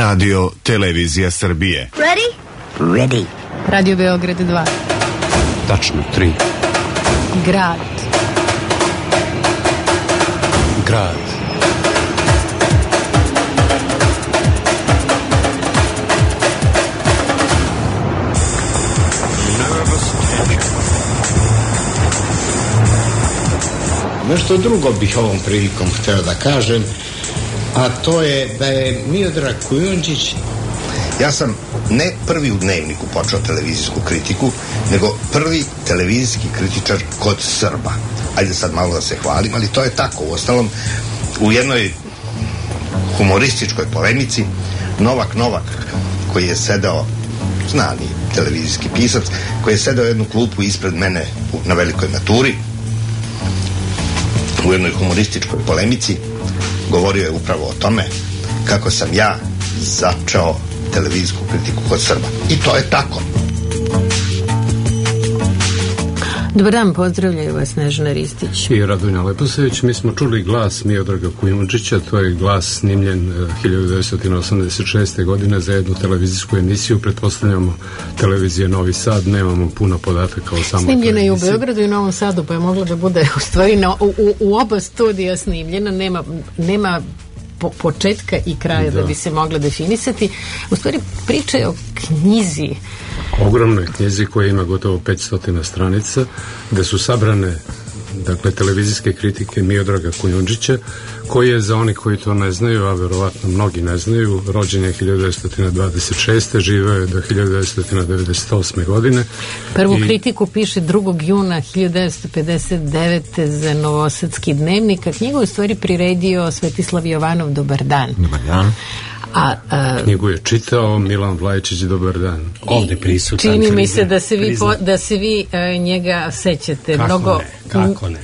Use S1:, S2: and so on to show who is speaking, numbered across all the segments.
S1: Radio Televizija Srbije.
S2: Ready?
S3: Ready.
S4: Radio Beograd 2.
S5: Tačno 3.
S4: Grad.
S5: Grad.
S6: Nešto drugo bih ovom prilikom hteo da kažem, a to je da je Miodrag Kujundžić.
S7: Ja sam ne prvi u Dnevniku počeo televizijsku kritiku, nego prvi televizijski kritičar kod Srba. Ajde sad malo da se hvalim, ali to je tako. Uostalom, u jednoj humorističkoj polemici Novak, koji je sedeo, znani televizijski pisac, koji je sedeo jednu klupu ispred mene na velikoj maturi, u jednoj humorističkoj polemici govorio je upravo o tome kako sam ja začeo televizijsku kritiku kod Srba. I to je tako.
S4: Dobar dan, pozdravljaju vas Snežana Ristić
S5: i Radonja Leposević. Mi smo čuli glas Miodraga Kujundžića, to je glas snimljen 1986. godine za jednu televizijsku emisiju, pretpostavljamo televizije Novi Sad, nemamo puno podataka o samoj televiziji.
S4: Snimljena je u Beogradu i Novom Sadu, pa je mogla da bude u stvari u oba studija snimljena, nema početka i kraja da bi se mogla definisati. U stvari priča je o knjizi.
S5: Ogromnoj knjizi koja ima gotovo 500 stranica, gde su sabrane televizijske kritike Miodraga Kujundžića, koji je, za oni koji to ne znaju, a verovatno mnogi ne znaju, rođen je 1926. živeo je do 1998. godine.
S4: Prvu kritiku piše 2. juna 1959. za Novosadski dnevnik, a knjigu je u stvari priredio Svetislav Jovanov. Dobar dan.
S3: Dobar dan.
S5: Knjigu je čitao Milan Vlajčić. Dobar dan.
S3: Ovde prisutan.
S4: Čini mi se da se vi njega sećate.
S3: Kako ne?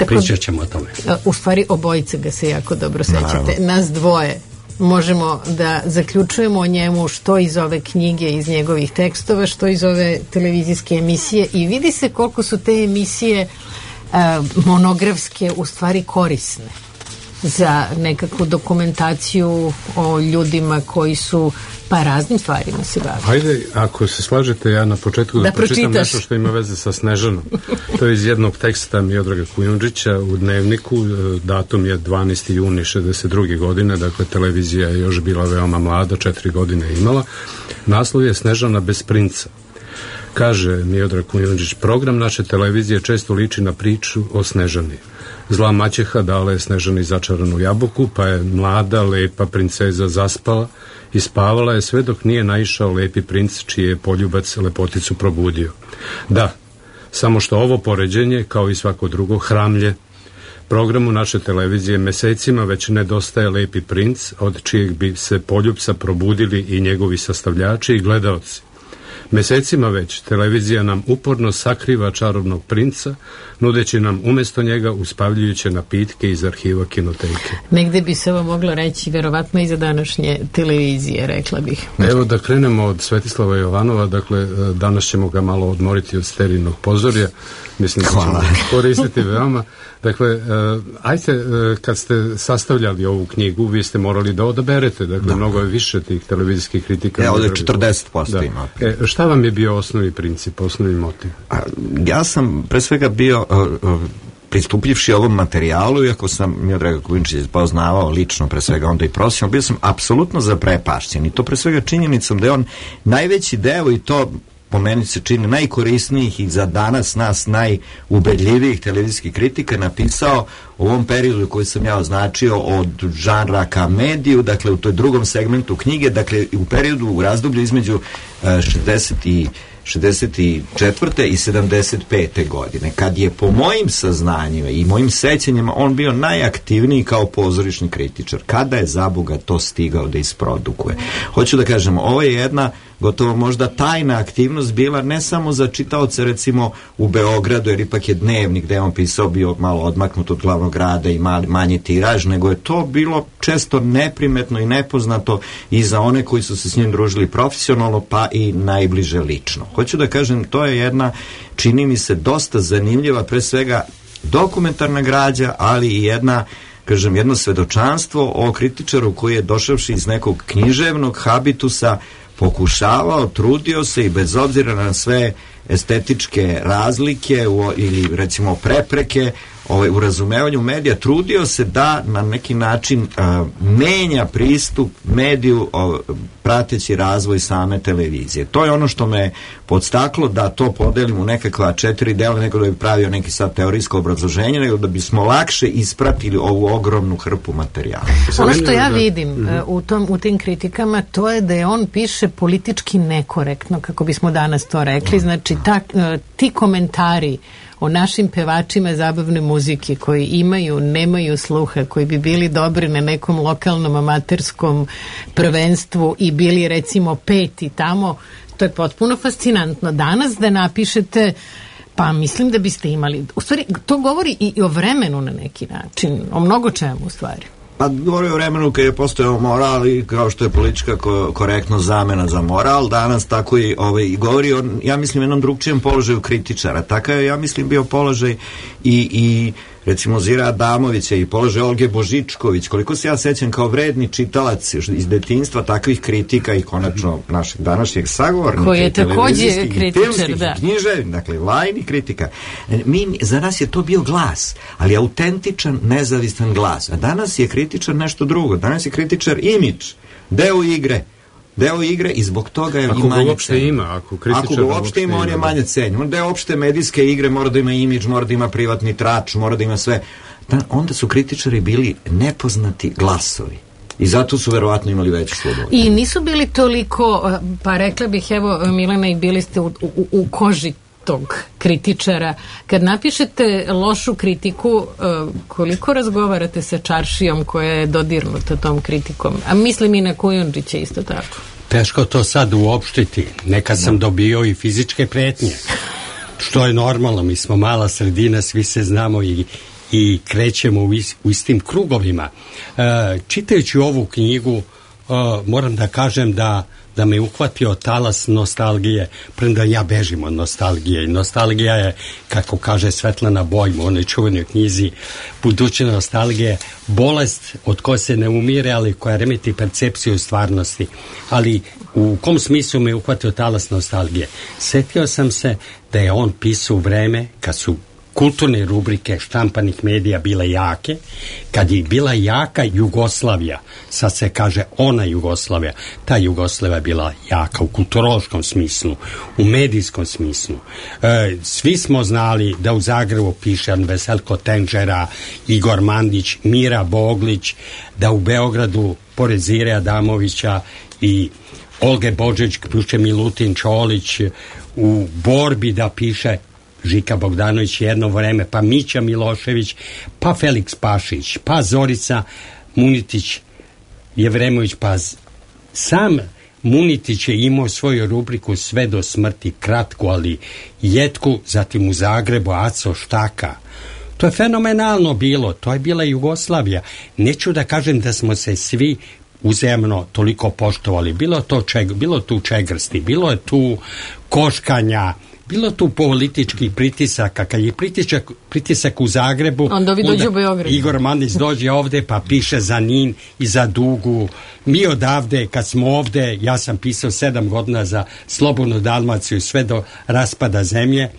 S3: Pričat ćemo o tome.
S4: U stvari obojice ga se jako dobro sećate. Nas dvoje možemo da zaključujemo o njemu što iz ove knjige, iz njegovih tekstova, što iz ove televizijske emisije, i vidi se koliko su te emisije monografske u stvari korisne za nekakvu dokumentaciju o ljudima koji su raznim stvarima se bavili.
S5: Hajde, ako se slažete, ja na početku da pročitam nešto što ima veze sa Snežanom. To je iz jednog teksta Miodraga Kujundžića u Dnevniku, datum je 12. juni 62. godine, dakle televizija je još bila veoma mlada, 4 godine je imala. Naslov je Snežana bez princa. Kaže Miodrag Kujundžić: program naše televizije često liči na priču o Snežani. Zla maćeha dala je Snežani začaranu jabuku, pa je mlada, lepa princeza zaspala i spavala je sve dok nije naišao lepi princ, čiji je poljubac lepoticu probudio. Da, samo što ovo poređenje, kao i svako drugo, hramlje. Programu naše televizije mesecima već nedostaje lepi princ, od čijeg bi se poljubca probudili i njegovi sastavljači i gledaoci. Mesecima već televizija nam uporno sakriva čarobnog princa, nudeći nam umjesto njega uspavljujuće napitke iz arhiva kinoteke.
S4: Negde bi se ovo moglo reći verovatno i za današnje televizije, rekla bih.
S5: Evo da krenemo od Svetislava Jovanova, dakle danas ćemo ga malo odmoriti od sterilnog pozorja, mislim da ćemo koristiti veoma. Dakle, ajte, kad ste sastavljali ovu knjigu, vi ste morali da odaberete, dakle, mnogo je više tih televizijskih kritika.
S3: Ovdje 40% ima.
S5: Šta vam je bio osnovni princip, osnovni motiv?
S3: Ja sam pre svega bio, pristupljivši ovom materijalu, iako sam Miodraga Kujundžića poznavao lično, pre svega onda i profesionalno, bio sam apsolutno zaprepašćen, i to pre svega činjenicom da je on najveći deo, i to po meni se čini najkorisnijih i za danas nas najubedljivijih televizijskih kritika, napisao u ovom periodu koji sam ja označio od žanra ka mediju, dakle u toj drugom segmentu knjige, dakle u periodu, u razdoblju između 64. i 75. godine, kad je po mojim saznanjima i mojim sećanjima on bio najaktivniji kao pozorišni kritičar. Kada je za Boga to stigao da isprodukuje? Hoću da kažem, ovo je jedna gotovo možda tajna aktivnost bila ne samo za čitaoce recimo u Beogradu, jer ipak je Dnevnik gde je on pisao bio malo odmaknut od glavnog grada i manji tiraž, nego je to bilo često neprimetno i nepoznato i za one koji su se s njim družili profesionalno, pa i najbliže lično. Hoću da kažem, to je jedna, čini mi se, dosta zanimljiva, pre svega dokumentarna građa, ali i jedna kažem, jedno svedočanstvo o kritičaru koji je došavši iz nekog književnog habitusa pokušavao, trudio se i bez obzira na sve estetičke razlike ili recimo prepreke u razumevanju medija, trudio se da na neki način menja pristup mediju prateći razvoj same televizije. To je ono što me podstaklo da to podelim u nekakva 4 dela, nego da bi pravio neki sad teorijsko obrazloženje, nego da bismo lakše ispratili ovu ogromnu hrpu materijala.
S4: Ono što ja vidim u tim kritikama, to je da je on piše politički nekorektno, kako bismo danas to rekli. Znači, ti komentari o našim pevačima zabavne muzike koji imaju, nemaju sluha, koji bi bili dobri na nekom lokalnom amaterskom prvenstvu i bili recimo 5 tamo, to je potpuno fascinantno. Danas da napišete, pa mislim da biste imali, u stvari to govori i o vremenu na neki način, o mnogo čemu u stvari.
S3: Pa govori o vremenu kad je postojao moral i kao što je politička korektnost zamena za moral, danas tako i govori o, ja mislim, jednom drugčijem položaju kritičara. Takav je, ja mislim, bio položaj i recimo Zira Adamovića i položaj Olge Božičković. Koliko se ja sećam kao vredni čitalac iz detinjstva takvih kritika i konačno našeg današnjeg sagovornika,
S4: koji je takođe kritičar, da.
S3: Književnik, dakle, lajni kritika. Za nas je to bio glas, ali autentičan, nezavistan glas. A danas je kritičar nešto drugo. Danas je kritičar imidž, deo igre i zbog toga je i manje cenjen. Ako ga uopšte ima, on je manje cenjen. On deo opšte medijske igre mora da ima imidž, mora da ima privatni trač, mora da ima sve. Onda su kritičari bili nepoznati glasovi. I zato su verovatno imali veću slobodu.
S4: I nisu bili toliko, pa rekla bih, evo Milena, i bili ste u koži tog kritičara. Kad napišete lošu kritiku, koliko razgovarate sa čaršijom koja je dodirnuta tom kritikom? A mislim i na Kujundžića isto tako.
S2: Teško to sad uopštiti. Nekad sam dobio i fizičke pretnje. Što je normalno, mi smo mala sredina, svi se znamo i krećemo u istim krugovima. Čitajući ovu knjigu, moram da kažem da me uhvatio talas nostalgije, premda ja bežim od nostalgije. I nostalgija je, kako kaže Svetlana Bojm u onoj čuvenoj knjizi Buduće nostalgije, bolest od koje se ne umire, ali koja remeti percepciju stvarnosti. Ali u kom smislu me uhvatio talas nostalgije? Setio sam se da je on pisao u vreme kad su kulturne rubrike štampanih medija bile jake, kad je bila jaka Jugoslavija, sad se kaže ona Jugoslavija, ta Jugoslavija je bila jaka u kulturološkom smislu, u medijskom smislu. Svi smo znali da u Zagrebu piše Veselko Tenžera, Igor Mandić, Mira Boglić, da u Beogradu pored Zire Adamovića i Olge Božić piše Milutin Čolić, u Borbi da piše Žika Bogdanović jedno vreme, pa Mića Milošević, pa Feliks Pašić, pa Zorica Munitić Jevremović, pa sam Munitić je imao svoju rubriku Sve do smrti, kratku, ali jetku, zatim u Zagrebu Aco Štaka. To je fenomenalno bilo, to je bila Jugoslavija. Neću da kažem da smo se svi uzajamno toliko poštovali. Bilo tu čegrsti, bilo je tu koškanja, bilo tu političkih pritisaka. Kad je pritisak u Zagrebu,
S4: onda
S2: Igor Mandić dođe ovde pa piše za Nin i za Dugu. Mi odavde, kad smo ovde, ja sam pisao 7 godina za Slobodnu Dalmaciju sve do raspada zemlje,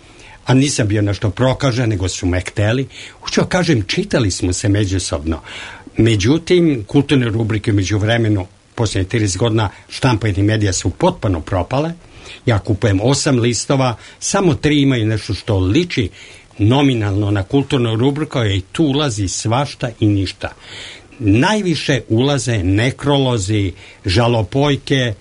S2: a nisam bio nešto prokažen, nego su me hteli. Hoću kažem, čitali smo se međusobno. Međutim, kulturne rubrike među vremenu, posljednje 30 godina, štampanje medija su potpuno propale. Ja kupujem 8 listova, samo 3 imaju nešto što liči nominalno na kulturnu rubriku, i tu ulazi svašta i ništa. Najviše ulaze nekrolozi, žalopojke.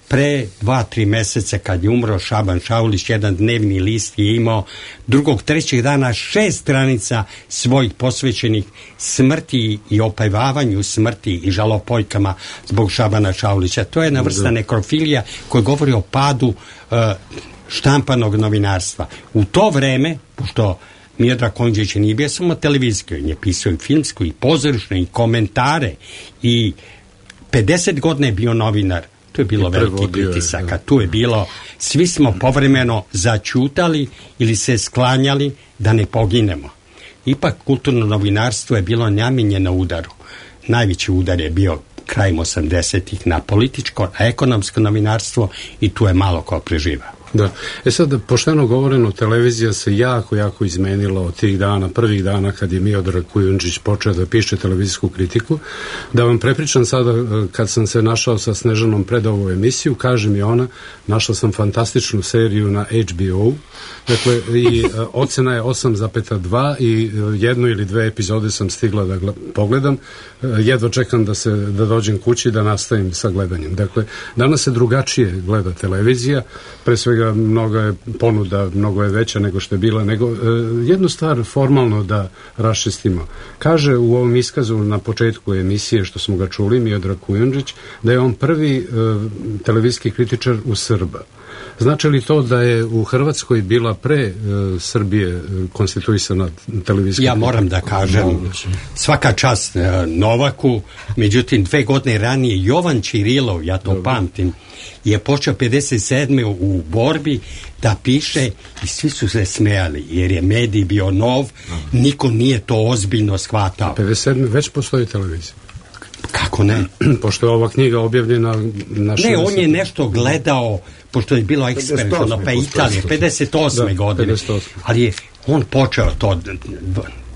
S2: Pre 2-3 meseca kad je umro Šaban Šaulić, jedan dnevni list je imao 2. 3. dana 6 stranica svojih posvećenih smrti i opevavanju smrti i žalopojkama zbog Šabana Šaulića. To je jedna vrsta nekrofilija koja govori o padu štampanog novinarstva. U to vreme, pošto Miodrag Kujundžić nije bio samo televizijski, on je pisao i filmsku i pozorišnu i komentare i 50 godina je bio novinar. Tu je bilo veliki pritisaka, tu je bilo, svi smo povremeno začutali ili se sklanjali da ne poginemo. ipak kulturno novinarstvo je bilo namijenjeno udaru. Najveći udar je bio krajem 80-ih na političko, na ekonomsko novinarstvo i tu je malo ko preživa.
S5: Da. Sad, pošteno govoreno, televizija se jako izmenila od tih dana, prvih dana kad je Miodrag Kujundžić počeo da piše televizijsku kritiku. Da vam prepričam sada, kad sam se našao sa Snežanom pred ovu emisiju, kaže mi ona, našla sam fantastičnu seriju na HBO, dakle, i ocena je 8,2 i jednu ili dve epizode sam stigla da pogledam. Jedva čekam da dođem kući da nastavim sa gledanjem. Dakle, danas se drugačije gleda televizija, pre svega mnogo je ponuda, mnogo je veća nego što je bila, nego jednu stvar formalno da raščistimo. Kaže u ovom iskazu na početku emisije, što smo ga čuli, Miodrag Kujundžić, da je on prvi televizijski kritičar u Srba. Znači li to da je u Hrvatskoj bila pre Srbije konstituisana televizijska kritika?
S2: Ja moram da kažem, svaka čast Novaku, međutim 2 godine ranije Jovan Čirilov, ja to pamtim, je počeo 57. u borbi da piše i svi su se smejali jer je medij bio nov, niko nije to ozbiljno shvatao.
S5: 57. već postoji televizija.
S2: Kako ne?
S5: Pošto je ova knjiga objavljena na 60.
S2: Ne, on je nešto gledao, pošto je bilo eksperimentalno, pa Italije, 58. godine.
S5: 58.
S2: Ali je on počeo to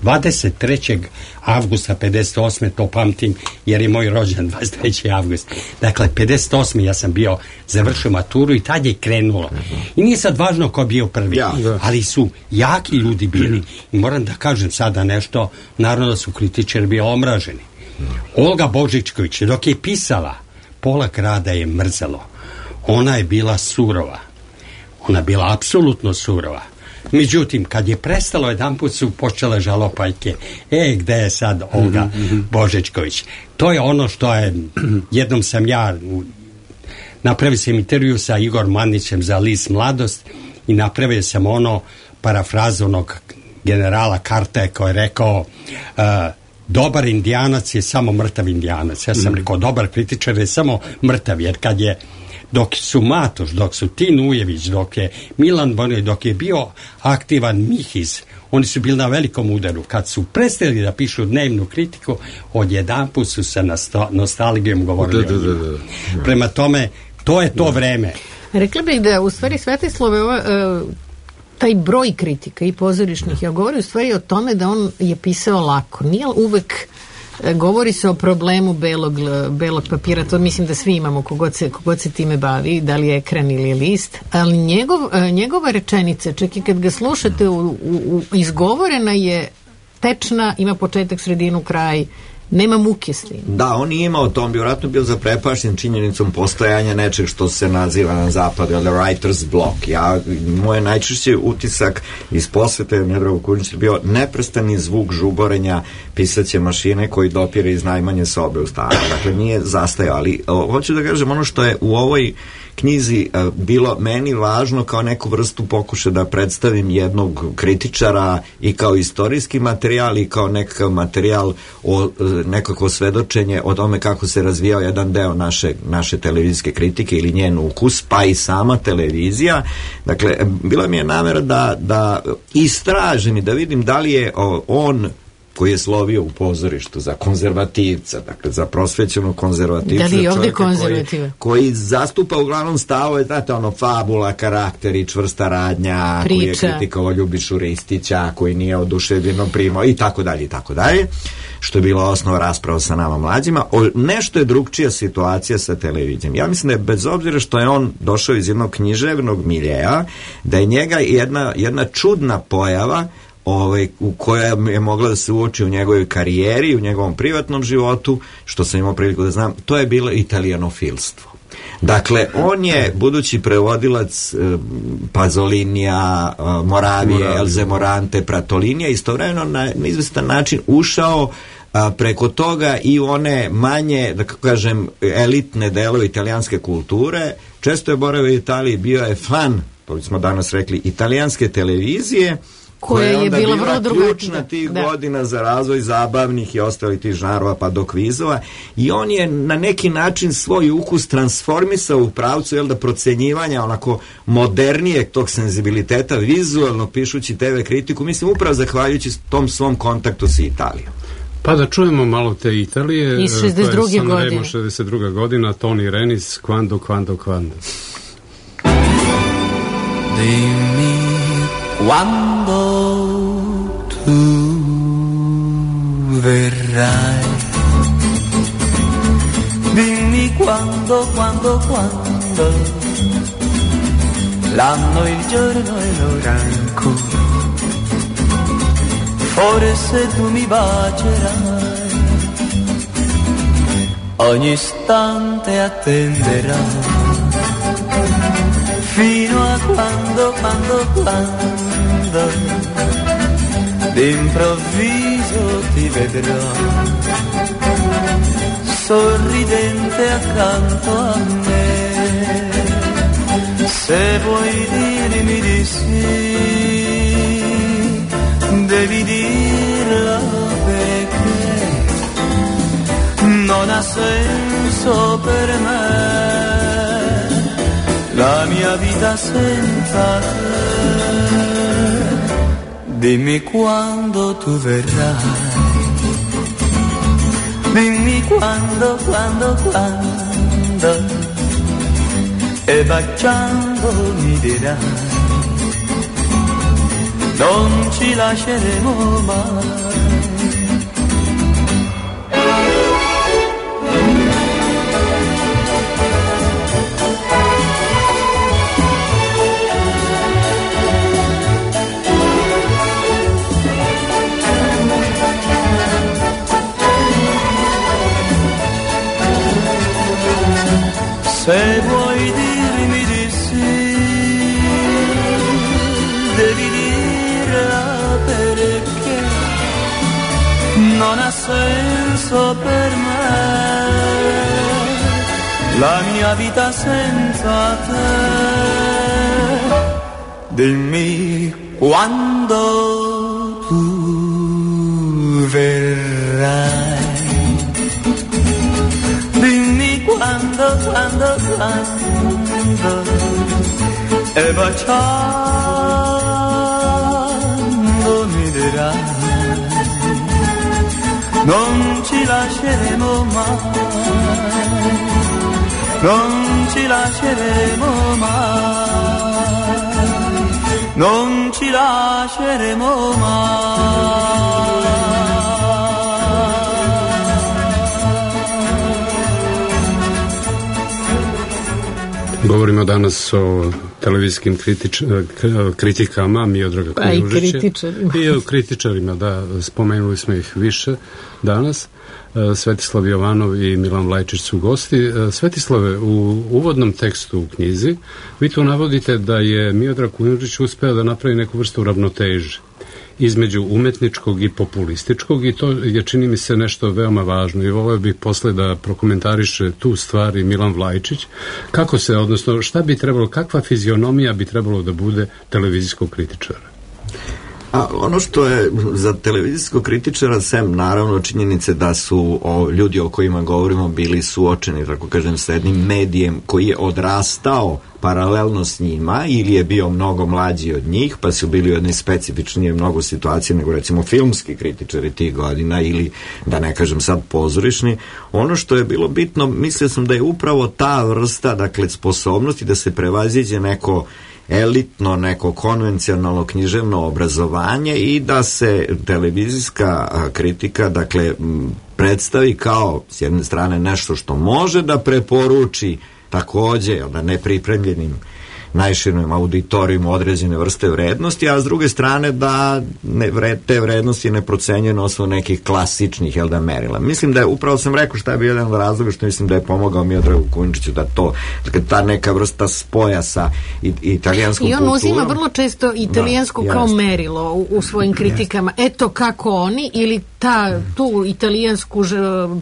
S2: 23. avgusta 58. to pamtim, jer je moj rođendan 23. avgust. Dakle, 58. ja sam bio završio maturu i tad je krenulo. I nije sad važno ko je bio prvi, ali su jaki ljudi bili. I moram da kažem sada nešto, naravno da su kritičari bili omraženi. Olga Božičković, dok je pisala, pola grada je mrzelo. Ona je bila surova. Ona je bila apsolutno surova. Međutim, kad je prestalo, jedanput su počele žalopajke. Gde je sad Olga Božičković? To je ono što je, jednom sam ja napravio sam intervju sa Igor Manićem za list Mladost i napravio sam ono parafrazu onog generala Karte koji je rekao dobar indijanac je samo mrtav indijanac. Ja sam rekao, dobar kritičar je samo mrtav, jer kad je, dok su Matoš, dok su Tin Ujević, dok je Milan Bonić, dok je bio aktivan Mihiz, oni su bili na velikom udaru. Kad su prestali da pišu dnevnu kritiku, odjedanput su se nostalgijom govorili o njima. Prema tome, to je to vreme.
S4: Rekla bih da u stvari Svetislave taj broj kritika i pozorišnih, ja govorim u stvari o tome da on je pisao lako. Nije uvek, govori se o problemu belog papira, to mislim da svi imamo kogod se time bavi, da li je ekran ili je list, ali njegova rečenica, čak i kad ga slušate, izgovorena je tečna, ima početak, sredinu, kraj, nema muke s tim.
S3: Da, on nije imao to, on bi vjerojatno bio zaprepašten činjenicom postojanja nečeg što se naziva na zapadu, the writer's block. Moj najčešći utisak iz posvete Miodraga Kujundžića je bio neprestani zvuk žuborenja pisaće mašine koji dopire iz najmanje sobe u stanu. Dakle, nije zastajao, ali hoću da kažem, ono što je u ovoj knjizi bilo meni važno kao neku vrstu pokušaja da predstavim jednog kritičara i kao istorijski materijal i kao nekakav materijal o nekako svedočenje o tome kako se razvijao jedan deo naše televizijske kritike ili njen ukus, pa i sama televizija. Dakle, bila mi je namera da istražim i da vidim da li je on koji je slovio u pozorištu za konzervativca, dakle za prosvećenog konzervativca,
S4: da li je ovdje konzervativa?
S3: Koji zastupa uglavnom stavove, znate, ono, fabula, karakteri, čvrsta radnja,
S4: priča,
S3: koji je kritikovao Ljubišu Ristića, koji nije oduševljeno primao i tako dalje, što je bila osnova rasprava sa nama mlađima. Nešto je drugčija situacija sa televizijom. Ja mislim da je, bez obzira što je on došao iz jednog književnog miljeja, da je njega jedna čudna pojava u koja je mogla da se uoči u njegovoj karijeri, u njegovom privatnom životu, što sam imao priliku da znam, to je bilo italijanofilstvo. Dakle, on je, budući prevodilac Pazolinija, Moravije, Elze Morante, Pratolinija, istovremeno na izvestan način ušao preko toga i one manje, da kažem, elitne delove italijanske kulture. Često je boravio u Italiji, bio je fan, to smo danas rekli, italijanske televizije,
S4: koja je bila vrlo drugačija.
S3: Ključna tih godina za razvoj zabavnih i ostalih tih žanrova pa do kvizova, i on je na neki način svoj ukus transformisao u pravcu da procenjivanja onako modernijeg tog senzibiliteta vizualno pišući TV kritiku, mislim upravo zahvaljujući tom svom kontaktu sa Italijom.
S5: Pa da čujemo malo te Italije.
S4: Iz 62. godine.
S5: 62. godina, Toni Renis, Quando.
S8: Dimmi quando tu verrai, dimmi quando, l'anno, il giorno e l'ora ancora, forse tu mi bacerai, ogni istante attenderai, fino a quando d'improvviso ti vedrò sorridente accanto a me. Se vuoi dirmi di sì, devi dirlo perché non ha senso per me la mia vita senza te. Dimmi quando tu verrai, dimmi quando, e baciando mi dirai, non ci lasceremo mai. Se vuoi dirmi di sì, devi dirla perché non ha senso per me la mia vita senza te. Dimmi quando tu verrai, quando e baciando mi dirai, non ci lasceremo mai, non ci lasceremo mai, non ci lasceremo mai.
S5: Govorimo danas o televizijskim kritikama Miodraga Kujužića. I o kritičarima, da, spomenuli smo ih više danas. Svetislav Jovanov i Milan Vlajčić su gosti. Svetislave, u uvodnom tekstu u knjizi vi tu navodite da je Miodrag Kujužić uspeo da napravi neku vrstu ravnoteže između umetničkog i populističkog, i to je, čini mi se, nešto veoma važno, i voleo bih posle da prokomentariše tu stvar i Milan Vlajčić. Kako se, odnosno šta bi trebalo, kakva fizionomija bi trebalo da bude televizijskog kritičara?
S3: A ono što je za televizijskog kritičara, sem naravno činjenice da su ljudi o kojima govorimo bili suočeni, tako kažem, sa jednim medijem koji je odrastao paralelno s njima ili je bio mnogo mlađi od njih, pa su bili u jednoj specifičnije mnogo situacije nego recimo filmski kritičari tih godina ili, da ne kažem sad, pozorišni. Ono što je bilo bitno, mislio sam da je upravo ta vrsta, dakle, sposobnosti da se prevaziđe neko elitno, neko konvencionalno književno obrazovanje i da se televizijska kritika, dakle, predstavi kao, s jedne strane, nešto što može da preporuči takođe, da nepripremljenim najširnom auditorijumu određene vrste vrednosti, a s druge strane da te vrednosti ne procenjuje na osnovu nekih klasičnih merila. Mislim da je, upravo sam rekao šta je bio jedan od razloga što mislim da je pomogao Miodragu Kujužiću da to, dakle, ta neka vrsta spoja sa italijanskom kulturom.
S4: I on uzima vrlo često italijansku kao merilo u svojim kritikama. Eto kako oni, ili tu italijansku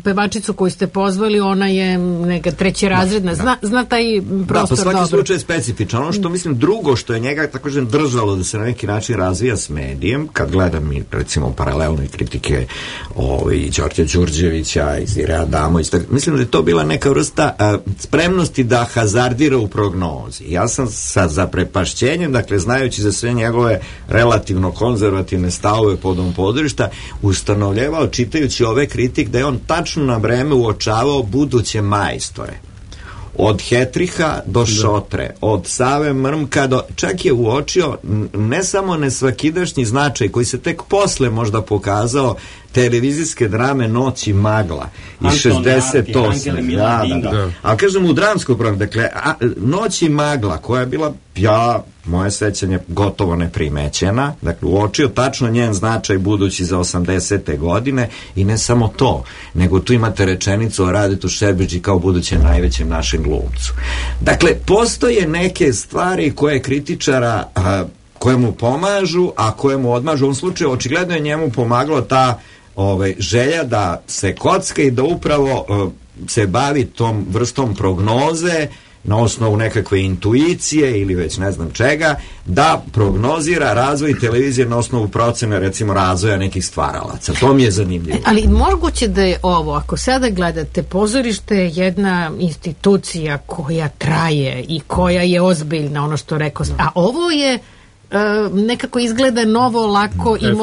S4: pevačicu koju ste pozvali, ona je neka trećerazredna, zna taj prostor dobro.
S3: Da, po svaki slučaj je specifičan. Ono što mislim drugo što je njega tako držalo da se na neki način razvija s medijem, kad gledam i recimo paralelne kritike Đorđa Đurđevića i Zire Adamović, mislim da je to bila neka vrsta spremnosti da hazardira u prognozi. Ja sam sa zaprepašćenjem, dakle znajući za sve njegove relativno konzervativne stavove podom podrišta, ustanovljavao čitajući ove kritik da je on tačno na vreme uočavao buduće majstore. Od Hetriha do Šotre, od Save Mrmka do... Čak je uočio ne samo nesvakidašnji značaj koji se tek posle možda televizijske drame Noć i magla iz 68. Da. Ali kažem u dramskom programu, dakle, Noć i magla koja je bila, moje sećanje gotovo neprimećena, dakle uočio tačno njen značaj budući za 80. godine i ne samo to, nego tu imate rečenicu o Radetu Šerbedži kao budućem najvećem našem glumcu. Dakle, postoje neke stvari koje kritičara koje mu pomažu, a koje mu odmažu. U ovom slučaju očigledno je njemu pomagalo ta želja da se kocka i da upravo se bavi tom vrstom prognoze na osnovu nekakve intuicije ili već ne znam čega, da prognozira razvoj televizije na osnovu procene, recimo, razvoja nekih stvaralaca. To mi je zanimljivo.
S4: Ali moguće da je ovo, ako sada gledate, pozorište je jedna institucija koja traje i koja je ozbiljna, ono što rekao, a ovo je nekako izgleda novo, lako i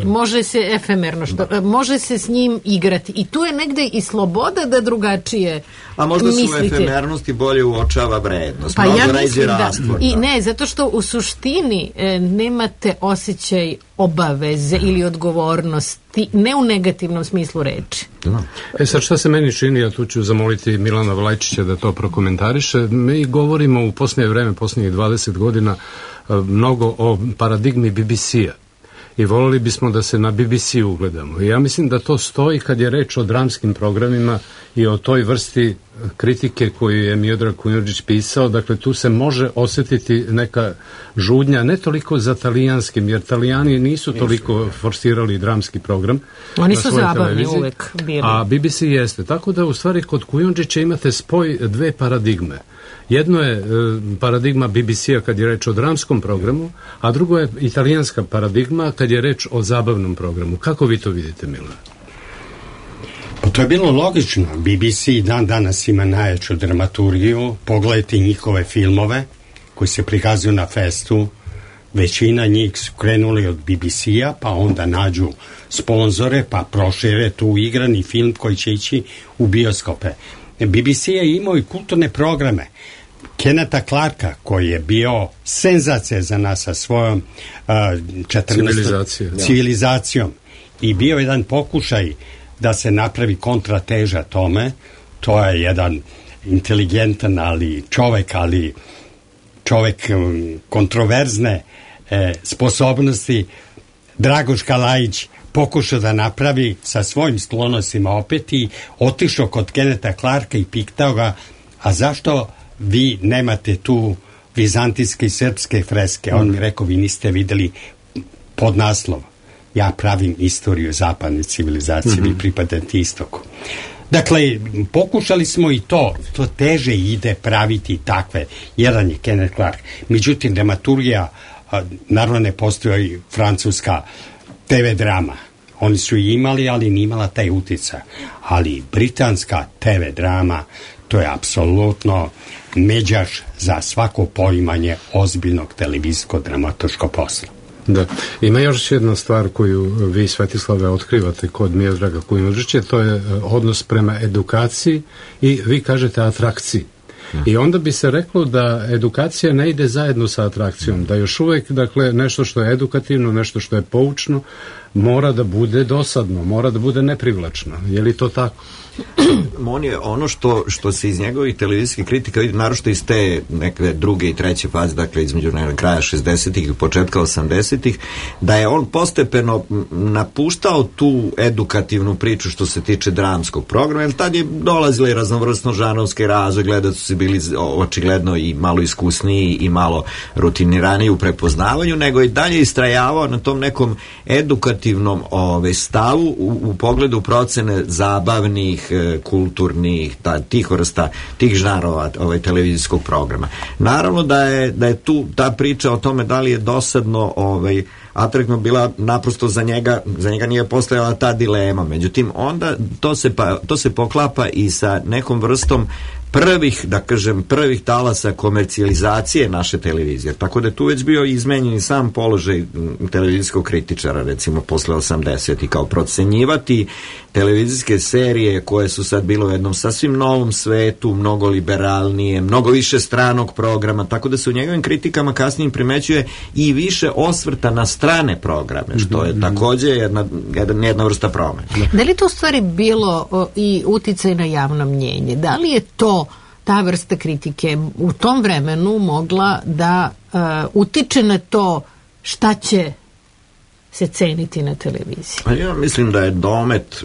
S4: može se efemerno, može se s njim igrati i tu je negde i sloboda da drugačije
S3: a možda se u efemernosti bolje uočava vrednost,
S4: pa ja mislim da i ne, zato što u suštini nemate osjećaj obaveze ili odgovornosti, ne u negativnom smislu reči.
S5: Sad šta se meni čini, ja tu ću zamoliti Milana Vlajčića da to prokomentariše. Mi govorimo u posljednje vreme, posljednjih 20 godina mnogo o paradigmi BBC-a i volili bismo da se na BBC ugledamo. I ja mislim da to stoji kad je reč o dramskim programima i o toj vrsti kritike koju je Miodrag Kujundžić pisao. Dakle, tu se može osjetiti neka žudnja, ne toliko za talijanskim, jer Talijani nisu toliko forsirali dramski program.
S4: Oni su zabavni uvek bili.
S5: A BBC jeste. Tako da u stvari kod Kujundžića imate spoj dve paradigme. Jedno je paradigma BBC-a kad je reč o dramskom programu, a drugo je italijanska paradigma kad je reč o zabavnom programu. Kako vi to vidite, Milana?
S2: Pa to je bilo logično. BBC dan danas ima najjaču dramaturgiju. Pogledajte njihove filmove koji se prikazuju na festu. Većina njih su krenuli od BBC-a, pa onda nađu sponzore, pa prošire tu igrani film koji će ići u bioskope. BBC je imao i kulturne programe. Kennetha Clarka, koji je bio senzacija za nas sa svojom civilizacijom i bio jedan pokušaj da se napravi kontrateža tome. To je jedan inteligentan čovek kontroverzne sposobnosti. Dragoš Kalajić pokušao da napravi sa svojim sklonostima opet i otišao kod Kennetha Clarka i pitao ga, a zašto vi nemate tu vizantijske i srpske freske? On mi rekao, vi niste videli podnaslov. Ja pravim istoriju zapadne civilizacije, vi pripadate istoku. Dakle, pokušali smo i to teže ide praviti takve. Jedan je Kenneth Clark. Međutim, dramaturgija, naravno ne postoji francuska TV drama. Oni su i imali, ali nije imala taj utjecaj. Ali britanska TV drama, to je apsolutno međaš za svako poimanje ozbiljnog televizijskog dramatoškog posla.
S5: Da. Ima još jedna stvar koju vi, Svetislave, otkrivate kod Miodraga Kujundžića, to je odnos prema edukaciji i vi kažete atrakciji. I onda bi se reklo da edukacija ne ide zajedno sa atrakcijom, da još uvijek, dakle, nešto što je edukativno, nešto što je poučno, mora da bude dosadno, mora da bude neprivlačno. Je li to tako?
S3: On je ono što se iz njegovih televizijskih kritika vidi, naročito iz te neke druge i treće faze, dakle između kraja 60-ih i početka 80-ih, da je on postepeno napuštao tu edukativnu priču što se tiče dramskog programa, jer tad je dolazila i raznovrsno žanovske razvoj, gledaoci su bili očigledno i malo iskusniji i malo rutiniraniji u prepoznavanju, nego i dalje istrajavao na tom nekom edukativnom konzervativnom stavu u pogledu procene zabavnih, kulturnih, tih vrsta, tih žanrova televizijskog programa. Naravno da je tu ta priča o tome da li je dosadno atraktivno bila, naprosto za njega nije postojala ta dilema. Međutim, onda to se poklapa i sa nekom vrstom prvih talasa komercijalizacije naše televizije. Tako da je tu već bio izmenjen i sam položaj televizijskog kritičara, recimo posle 80. i kao procenjivati televizijske serije koje su sad bilo u jednom sasvim novom svetu, mnogo liberalnije, mnogo više stranog programa, tako da se u njegovim kritikama kasnije primećuje i više osvrta na strane programe, što je takođe jedna vrsta promena.
S4: Da li to u stvari bilo i uticaj na javno mnjenje? Da li je ta vrsta kritike u tom vremenu mogla da utiče na to šta će se ceniti na televiziji?
S3: Ja mislim da je domet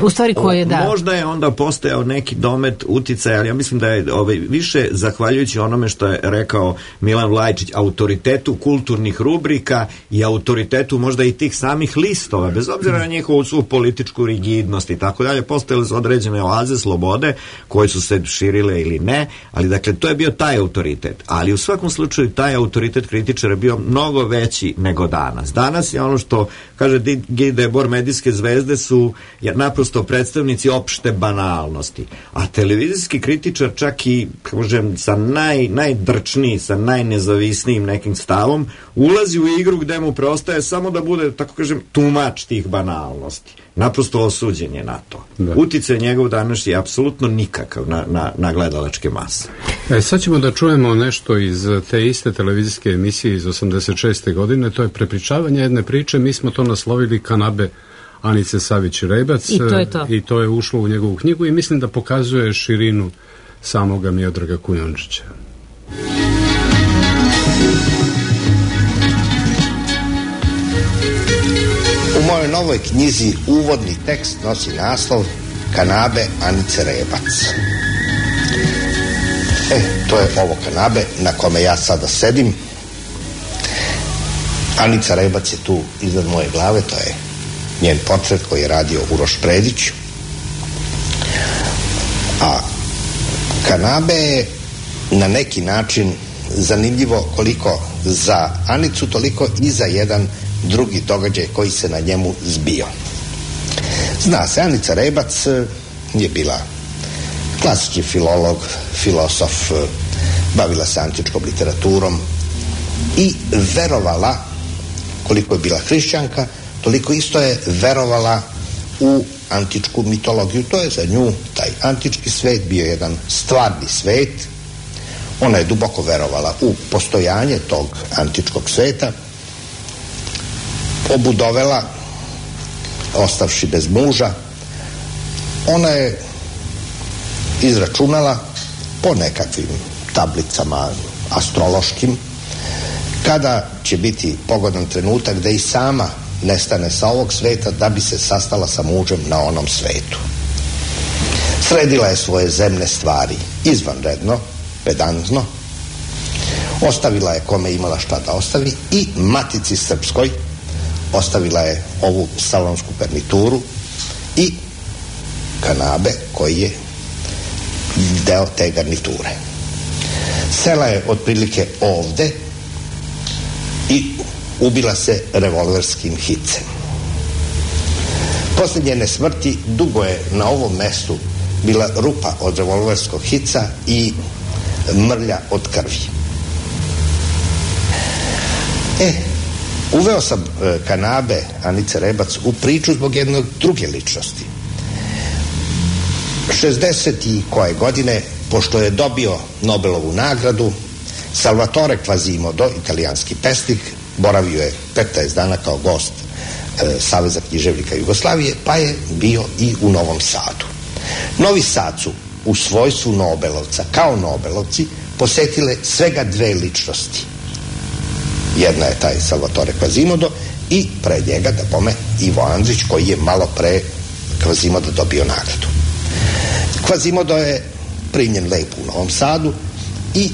S4: u stvari koje
S3: možda je onda postojao neki domet uticaja, ali ja mislim da je više zahvaljujući onome što je rekao Milan Vlajčić, autoritetu kulturnih rubrika i autoritetu možda i tih samih listova, bez obzira na njihovu svu političku rigidnost i tako dalje, postojale su određene oaze slobode koje su se širile ili ne, ali dakle to je bio taj autoritet, ali u svakom slučaju taj autoritet kritičara je bio mnogo veći nego danas. Danas je ono što kaže Guy Debord, medijske zvezde su naprosto predstavnici opšte banalnosti. A televizijski kritičar čak i, kažem, sa najdrčniji, sa najnezavisnijim nekim stavom, ulazi u igru gde mu preostaje samo da bude, tako kažem, tumač tih banalnosti. Naprosto osuđen je na to. Uticaj njegov danas je apsolutno nikakav na gledalačke mase.
S5: Sad ćemo da čujemo nešto iz te iste televizijske emisije iz 86. godine. To je prepričavanje jedne priče. Mi smo to naslovili Kanabe Anice Savić-Rebac i to je ušlo u njegovu knjigu i mislim da pokazuje širinu samoga Miodraga Kujundžića.
S7: U mojoj novoj knjizi uvodni tekst nosi naslov Kanabe Anice Rebac. To je ovo kanabe na kome ja sada sedim. Anica Rebac je tu iznad moje glave, to je njen portret koji je radio Uroš Predić. A kanabe je na neki način zanimljivo koliko za Anicu, toliko i za jedan drugi događaj koji se na njemu zbio. Zna se, Anica Rebac je bila klasični filolog, filosof, bavila se antičkom literaturom i verovala, koliko je bila hrišćanka, toliko isto je verovala u antičku mitologiju. To je za nju taj antički svet bio jedan stvarni svet. Ona je duboko verovala u postojanje tog antičkog sveta. Obudovela, ostavši bez muža, ona je izračunala po nekakvim tablicama astrološkim kada će biti pogodan trenutak da i sama nestane sa ovog sveta da bi se sastala sa mužem na onom svetu. Sredila je svoje zemne stvari izvanredno, pedantno, ostavila je kome imala šta da ostavi i Matici Srpskoj ostavila je ovu salonsku garnituru i kanabe koji je deo te garniture. Sela je otprilike ovde i ubila se revolverskim hicem. Posle njene smrti dugo je na ovom mestu bila rupa od revolverskog hica i mrlja od krvi. Uveo sam kanabe Anice Rebac u priču zbog jedne druge ličnosti. 60. i koje godine, pošto je dobio Nobelovu nagradu, Salvatore Quasimodo, italijanski pesnik, boravio je 15 dana kao gost Saveza književnika Jugoslavije, pa je bio i u Novom Sadu. Novi Sad su u svojstvu Nobelovca, kao Nobelovci, posetile svega dve ličnosti. Jedna je taj Salvatore Quasimodo i pre njega, da pome, Ivo Andrić, koji je malo pre Quasimodo dobio nagradu. Quasimodo je primljen lepo u Novom Sadu i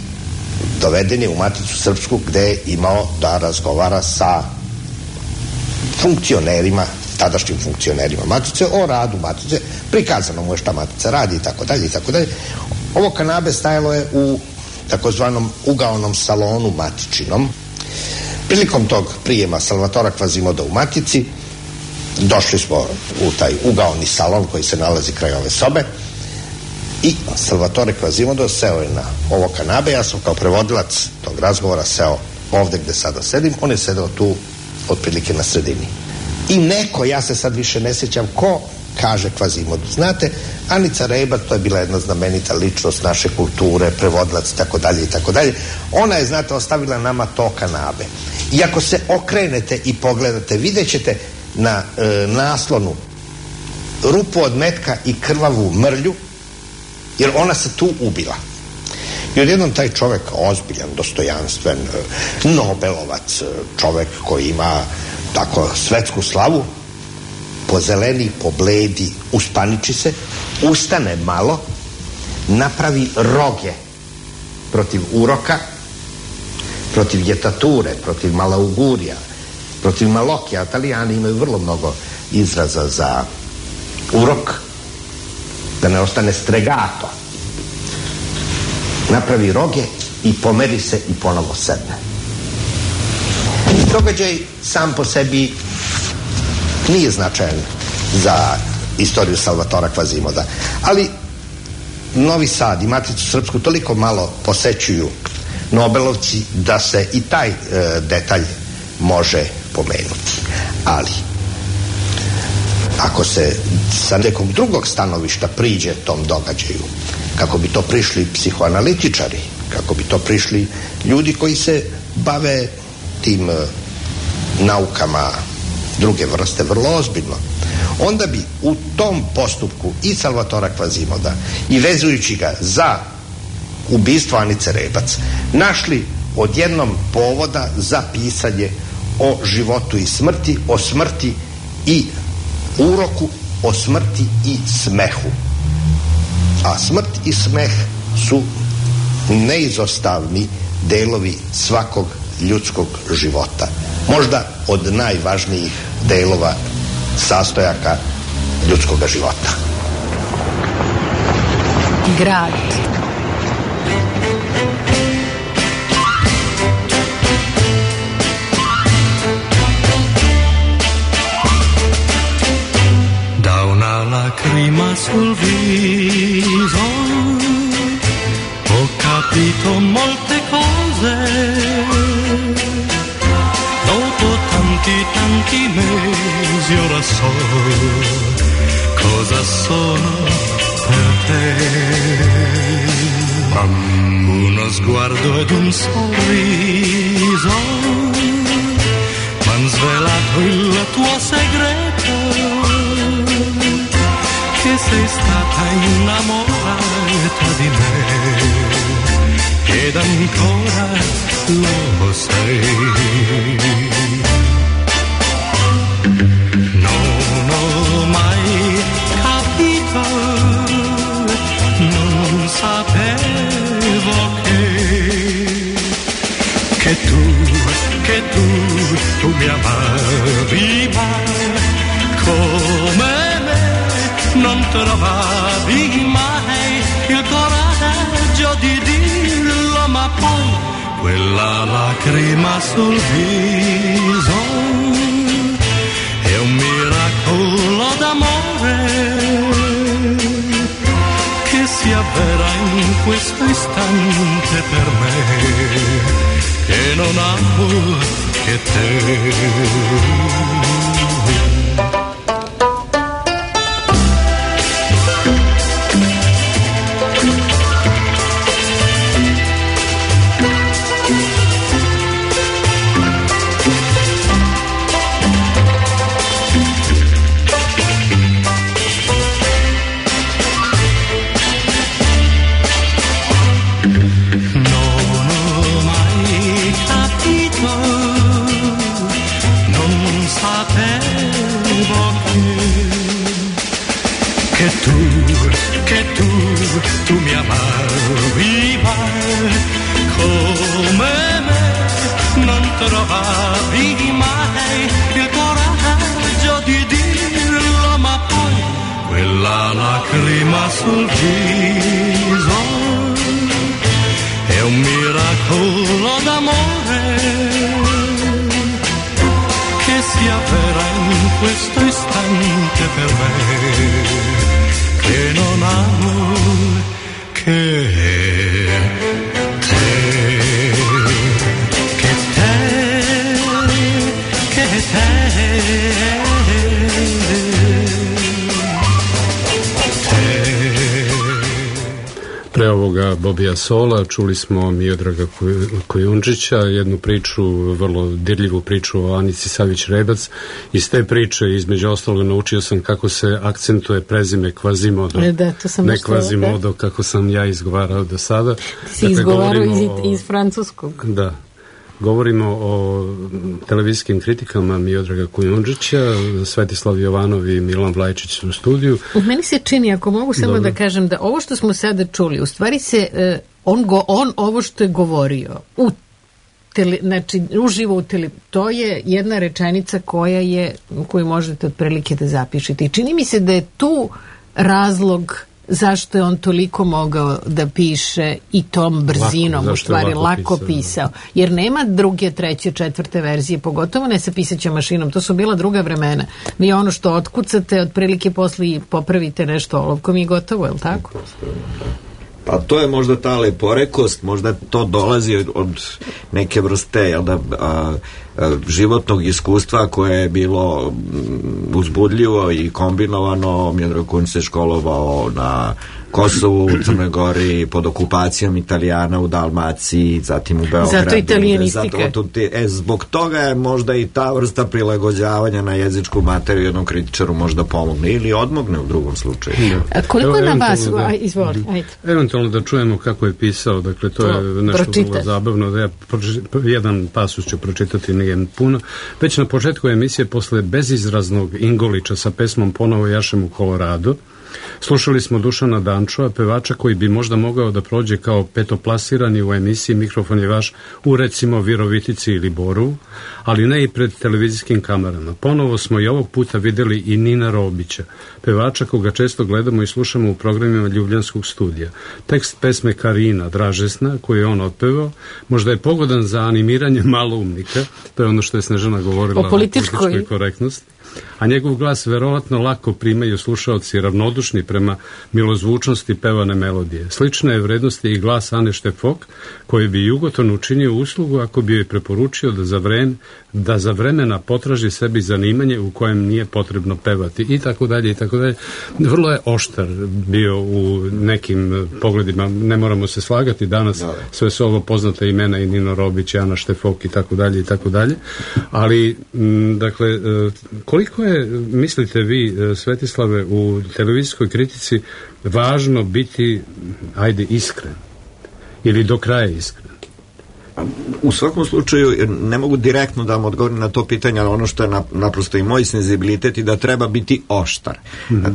S7: doveden je u Maticu Srpsku, gde je imao da razgovara sa funkcionerima, tadašnjim funkcionerima Matice, o radu Matice, prikazano mu je šta Matica radi i tako dalje i tako dalje. Ovo kanabe stajalo je u takozvanom ugaonom salonu Matičinom. Prilikom tog prijema Salvatora Kvazimoda u Matici došli smo u taj ugaoni salon koji se nalazi kraj ove sobe i Salvatore Kvazimodo seo je na ovo kanabe. Ja sam kao prevodilac tog razgovora seo ovde gde sada sedim, on je sedeo tu otprilike na sredini. I neko, ja se sad više ne sjećam ko, kaže Kvazimodu: znate, Anica Rebac, to je bila jedna znamenita ličnost naše kulture, prevodilac i tako dalje i tako dalje, ona je, znate, ostavila nama to kanabe. I ako se okrenete i pogledate, vidjet ćete na naslonu rupu od metka i krvavu mrlju, jer ona se tu ubila. I odjednom taj čovek, ozbiljan, dostojanstven, Nobelovac, čovek koji ima tako svetsku slavu, pozeleni, pobledi, uspaniči se, ustane malo, napravi roge protiv uroka, protiv jetature, protiv malaugurija, protiv malokija. Italijani imaju vrlo mnogo izraza za urok, da ne ostane stregato. Napravi roge i pomeri se i ponovo sedne. Događaj sam po sebi nije značajan za istoriju Salvatora Kvazimoda, ali Novi Sad i Maticu Srpsku toliko malo posećuju Nobelovci da se i taj detalj može pomenuti. Ali ako se sa nekog drugog stanovišta priđe tom događaju, kako bi to prišli psihoanalitičari, kako bi to prišli ljudi koji se bave tim naukama druge vrste vrlo ozbiljno, onda bi u tom postupku i Salvatora Kvazimoda i vezujući ga za ubistvo Anice Rebac našli odjednom povoda za pisanje o životu i smrti, o smrti i uroku, o smrti i smehu. A smrt i smeh su neizostavni delovi svakog ljudskog života. Možda od najvažnijih delova sastojaka ljudskog života.
S4: Grad.
S8: Da una lacrima sul viso ho capito molte cose. Dopo tanti mesi ora so cosa sono per te. Uno sguardo ed un sorriso m'han svelato il tuo segreto, che sei stata innamorata di me ed ancora lo sei. Non ho mai capito, non sapevo che tu mi amavi, ma come me non trovavi mai il coraggio di dirlo, ma poi quella lacrima sul viso è un miracolo d'amore che si avvera in questo istante per me, che non amo che te. Tu mi amavi, ma come me non trovavi mai il coraggio sul viso, è un miracolo d'amore che si avvera in questo istante per me, che non amo che
S5: Pre ovoga Bobija Sola čuli smo Miodraga Kujundžića, jednu priču, vrlo dirljivu priču o Anici Savić-Rebac. Iz te priče, između ostalog, naučio sam kako se akcentuje prezime Quasimodo. Ne Quasimodo, kako sam ja izgovarao do sada.
S4: Ti si izgovarao iz francuskog.
S5: Da. Govorimo o televizijskim kritikama Miodraga Kujundžića, Svetislav Jovanov i Milan Vlajčić u studiju.
S4: Meni se čini, ako mogu samo da kažem, da ovo što smo sada čuli, u stvari se, on ovo što je govorio, znači uživo to je jedna rečenica koju možete otprilike da zapišete. I čini mi se da je tu razlog zašto je on toliko mogao da piše i tom brzinom, u stvari lako pisao. Jer nema druge, treće, četvrte verzije, pogotovo ne sa pisaćom mašinom. To su bila druga vremena. Vi ono što otkucate, otprilike posle popravite nešto olovkom i gotovo, je li tako?
S3: Pa to je možda ta leporekost, možda to dolazi od neke vrste životnog iskustva koje je bilo uzbudljivo i kombinovano. Miodrag Kujundžić se školovao na Kosovu, u Crnoj Gori, pod okupacijom Italijana u Dalmaciji, zatim u Beogradu.
S4: Zato italijanistika.
S3: Zbog toga je možda i ta vrsta prilagođavanja na jezičku materiju jednom kritičaru možda pomogne ili odmogne u drugom slučaju.
S4: Koliko je na vas? Izvoli, ajde.
S5: Eventualno da čujemo kako je pisao, dakle to je nešto vrlo zabavno. Da ja jedan pasus ću pročitati, nije puno. Već na početku emisije, posle bezizraznog Ingolića sa pesmom Ponovo jašem u Koloradu, slušali smo Dušana Dančova, pevača koji bi možda mogao da prođe kao petoplasirani u emisiji Mikrofon je vaš u recimo Virovitici ili Borovu, ali ne i pred televizijskim kamerama. Ponovo smo i ovog puta videli i Nina Robića, pevača koga često gledamo i slušamo u programima Ljubljanskog studija. Tekst pesme Karina, Dražesna, koju je on otpevao, možda je pogodan za animiranje maloumnika, to je ono što je Snežana govorila o političkoj korektnosti, a njegov glas verovatno lako primaju slušaoci ravnodušni prema milozvučnosti pevane melodije. Slične je vrednosti i glas Ane Štefok, koji bi Jugoton učinio uslugu ako bi joj preporučio da za vremena potraži sebi zanimanje u kojem nije potrebno pevati i tako dalje i tako dalje. Vrlo je oštar bio u nekim pogledima, ne moramo se slagati danas, sve su ovo poznate imena i Nino Robić, Ana Štefok i tako dalje, ali dakle, koliko je, mislite vi, Svetislave, u televizijskoj kritici važno biti, ajde, iskren ili do kraja iskren?
S3: U svakom slučaju ne mogu direktno da vam odgovorim na to pitanje, ali ono što je naprosto i moj senzibilitet i da treba biti oštar.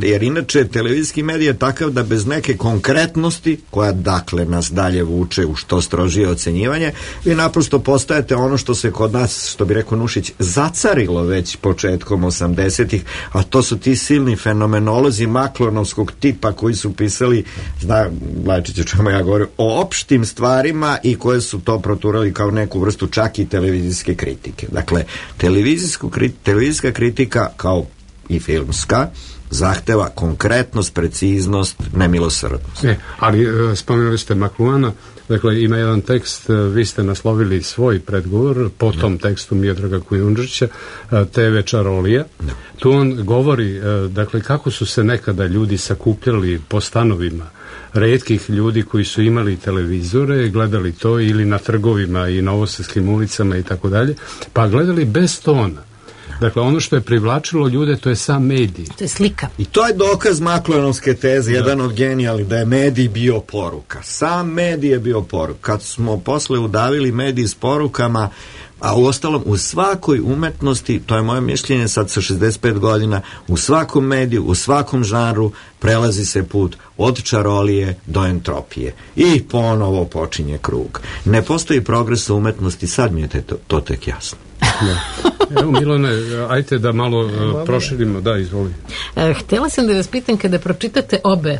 S3: Jer inače televizijski medij je takav da bez neke konkretnosti, koja dakle nas dalje vuče u što strožije ocenjivanje, vi naprosto postajete ono što se kod nas, što bi rekao Nušić, zacarilo već početkom 80-ih, a to su ti silni fenomenolozi maklonovskog tipa koji su pisali, zna Vlajčić o čemu ja govorim, o opštim stvarima i koje su to proturali kao neku vrstu čak i televizijske kritike. Dakle, televizijska kritika, kao i filmska, zahteva konkretnost, preciznost, nemilosrdnost.
S5: Ali spomenuli ste Makluana, dakle ima jedan tekst, vi ste naslovili svoj predgovor po tom tekstu Miodraga Kujundžića, TV Čarolija. Tu on govori, dakle, kako su se nekada ljudi sakupljali po stanovima retkih ljudi koji su imali televizore, gledali to ili na trgovima i novosadskim ulicama i tako dalje, pa gledali bez tona. Dakle, ono što je privlačilo ljude, to je sam medij.
S4: To je slika.
S3: I to je dokaz Maklonovske teze, jedan od genijalnih, da je medij bio poruka. Sam medij je bio poruka. Kad smo posle udavili medij s porukama, a uostalom u svakoj umetnosti, to je moje mišljenje sad sa 65 godina, u svakom mediju, u svakom žanru prelazi se put od čarolije do entropije. I ponovo počinje krug. Ne postoji progres u umetnosti, sad mi je to tek jasno.
S5: Evo, Milane, ajte da malo proširimo, da, izvoli.
S4: Htjela sam da vas pitam, kada pročitate obe